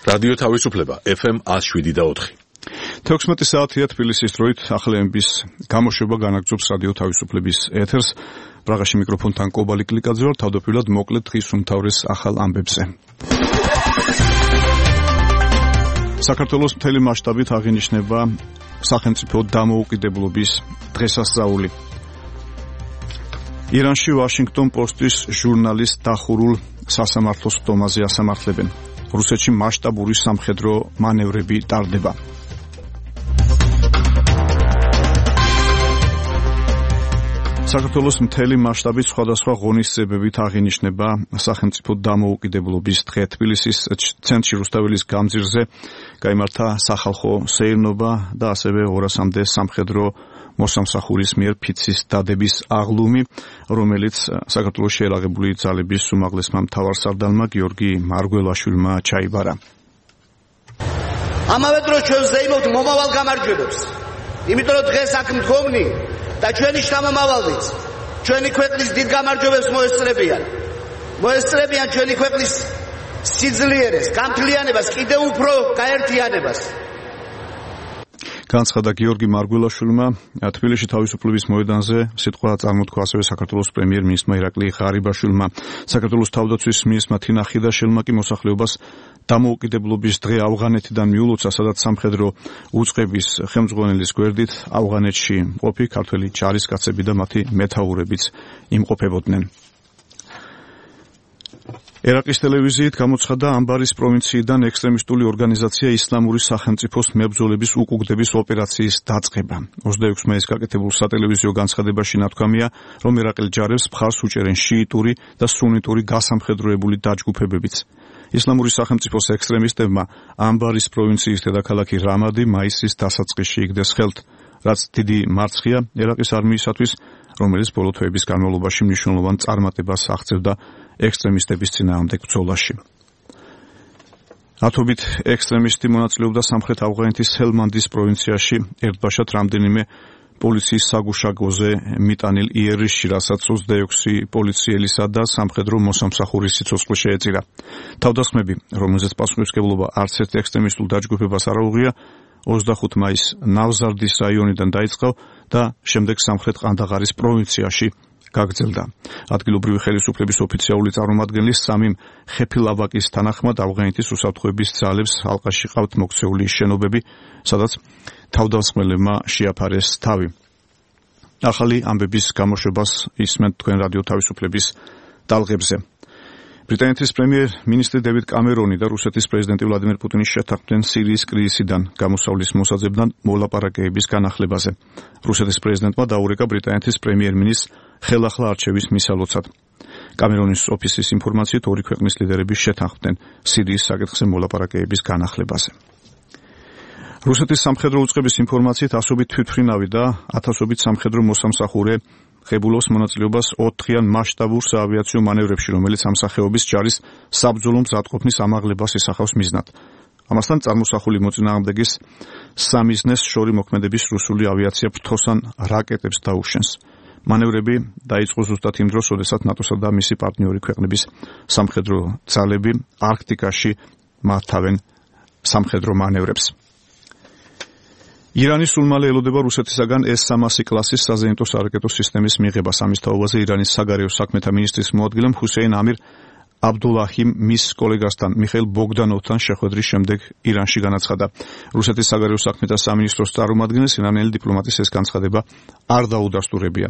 რადიო თავისუფლება FM 107.4. 16 საათია თბილისის დროით ახალების გამოშვება განაგრძობს რადიო თავისუფლების ეთერს. პრაღაში მიკროფონთან კობალი კლიკაძე ვარ, თავდაპირველად მოკლედ დღის უმთავრეს ახალ ამბებზე. საქართველოს მთელი მასშტაბით აღინიშნება სახელმწიფო დამოუკიდებლობის დღესასწაული. ირანში ვაშინგტონ პოსტის ჟურნალის დახურულ სასამართლოს ხდომაზე ასამართლებენ. რუსეთში მასშტაბური სამხედრო მანევრები ტარდება. საქართველოს მთელი მასშტაბით სხვადასხვა ღონისძიებებით აღინიშნება სახელმწიფო დამოუკიდებლობის დღე. თბილისის ცენტრში რუსთაველის გამზირზე გაიმართა სახალხო სეირნობა და ასევე 200-მდე სამხედრო მოსამსახურის მიერ ფიცის დადების აღლუმი, რომელიც საქართველოს შეერაღებული ძალების უმაღლესმა მთავარსარდალმა გიორგი მარგველაშვილმა ჩაიბარა. ამავე დროს ჩვენ ვზეიმობთ მომავალ გამარჯვებებს. იმიტომ რომ დღეს აქ მდგომნი და ჩვენი შთამომავალიც ჩვენი ქვეყნის დიდ გამარჯვებებს მოესწრებიან ჩვენი ქვეყნის სიძლიერეს, გამთლიანებას, კიდევ უფრო გაერთიანებას. განცხადა გიორგი მარგველაშვილმა თბილისში თავისუფლების მოედანზე სიტყვა წარმოთქვა ასევე საქართველოს პრემიერ-მინისტრმა ირაკლი ღარიბაშვილმა. საქართველოს თავდაცვის მინისტრმა თინა ხიდაშელმა კი მოსახლეობას დამოუკიდებლობის დღე ავღანეთიდან მიულოცა, სადაც სამხედრო უწყების ხელმძღვანელის გვერდით ავღანეთში მყოფი ქართველი ჯარისკაცები და მათი მეთაურებიც იმყოფებოდნენ. ერაყის ტელევიზიით გამოცხადდა ამბარის პროვინციიდან ექსტრემისტული ორგანიზაცია ისლამური სახელმწიფოს მებრძოლების უკუგდების ოპერაციის დაწყება. 26 მაისს გაკეთებულ სატელევიზიო განცხადებაში ნათქვამია, რომ ერაყელ ჯარებს მხარს უჭერენ შიიტური და სუნიტური გასამხედროებული დაჯგუფებებიც. ისლამური სახელმწიფოს ექსტრემისტებმა ამბარის პროვინციის დედაქალაქი რამადი მაისის დასაწყისში იგდეს ხელთ, რაც დიდი მარცხია ერაყის არმიისათვის, რომელიც ბოლო თვეების განმავლობაში მნიშვნელოვან წარმატებას აღწევდა ექსტრემისტების წინააღმდეგ ბრძოლაში. ათობით ექსტრემისტი მონაწილეობდა სამხრეთ ავღანეთის ჰელმანდის პროვინციაში ერთბაშად რამდენიმე პოლიციის საგუშაგოზე მიტანილ იერიშში, რასაც 26 პოლიციელისა და სამხედრო მოსამსახურის სიცოცხლე შეეწირა. თავდასხმები, რომელზეც პასუხისმგებლობა არც ერთ ექსტრემისტულ დაჯგუფებას არ აუღია, 25 მაისს ნავზარდის რაიონიდან დაიწყო და შემდეგ სამხრეთ ყანდაღარის პროვინციაში გაგრძელდა. ადგილობრივი ხელისუფლების ოფიციალური წარმომადგენლის სამიმ ხეფილავაკის თანახმად ავღანეთის უსაფრთხოების ძალებს ალყაში ყავთ მოქცეული შენობები, სადაც თავდამსხმელებმა შეაფარეს თავი. ახალი ამბების გამოშვებას ისმენთ თქვენ რადიო თავისუფლების ტალღებზე. ბრიტანეთის პრემიერ-მინისტრი დევიდ კამერონი და რუსეთის პრეზიდენტი ვლადიმერ პუტინი შეთანხმდნენ სირიის კრიზისიდან გამოსავლის მოსაძებნად მოლაპარაკებების განახლებაზე. რუსეთის პრეზიდენტმა დაურეკა ბრიტანეთის პრემიერ-მინისტრს ხელახლა არჩევის მისალოცად. კამერონის ოფისის ინფორმაციით ორი ქვეყნის ლიდერები შეთანხმდნენ სირიის საკითხზე მოლაპარაკებების განახლებაზე. რუსეთის სამხედრო უწყების ინფორმაციით ასობით თვითმფრინავი და ათასობით სამხედრო მოსამსახურე ღებულობს მონაწილეობას 4-იან მასშტაბურ საავიაციო მანევრებში, რომელიც ამ სახეობის ჯარის საბრძოლო მზადყოფნის ამაღლებას ისახავს მიზნად. ამასთან წარმოსახული მოწინააღმდეგის სამიზნეს შორი მოქმედების რუსული ავიაცია ფრთოსან რაკეტებს დაუშენს. მანევრები დაიწყო ზუსტად იმ დროს, როდესაც ნატოსა და მისი პარტნიორი ქვეყნების სამხედრო ძალები არქტიკაში მართავენ სამხედრო მანევრებს. ირანი სულ მალე ელოდება რუსეთისაგან S-300 კლასის საზეიმტო სარაკეტო სისტემის მიღებას. ამის თაობაზე ირანის საგარეო საქმეთა მინისტრის მოადგილემ ჰუსეინ ამირ აბდულაჰიმ მის კოლეგასთან მიხეილ ბოგდანოვთან შეხვედრის შემდეგ ირანში განაცხადა. რუსეთის საგარეო საქმეთა სამინისტროს წარმომადგენელს ირანელი დიპლომატის ეს განცხადება არ დაუდასტურებია.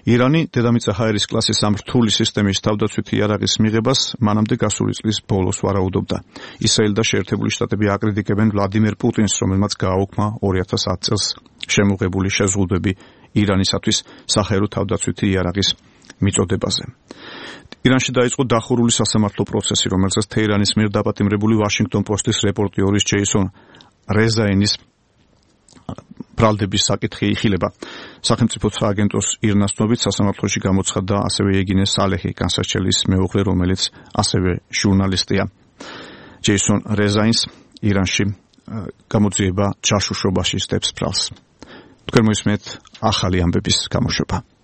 ირანი დედამიწა ჰაერის კლასის ამ რთული სისტემის თავდაცვითი იარაღის მიღებას მანამდე გასული წლის ბოლოს ვარაუდობდა. ისრაელი და შეერთებული შტატები აკრიტიკებენ ვლადიმერ პუტინს, რომელმაც გააუქმა 2010 წელს შემოღებული შეზღუდვები ირანისათვის საჰაერო თავდაცვითი იარაღის მიწოდებაზე. ირანში დაიწყო დახურული სასამართლო პროცესი, რომელსაც თეირანის მიერ დაპატიმრებული ვაშინგტონ პოსტის რეპორტიორის ჯეისონ რეზაინის ბრალდების საკითხი იხილება. სახელმწიფო სააგენტოს ირნას ცნობით სასამართლოში გამოცხადდა ასევე ეგინე სალეჰი, განსაცდელის მეუღლე, რომელიც ასევე ჟურნალისტია. ჯეისონ რეზაინს ირანში გამოძიება ჯაშუშობაში სდებს ბრალს. თქვენ მოისმენთ ახალი ამბების გამოშვება.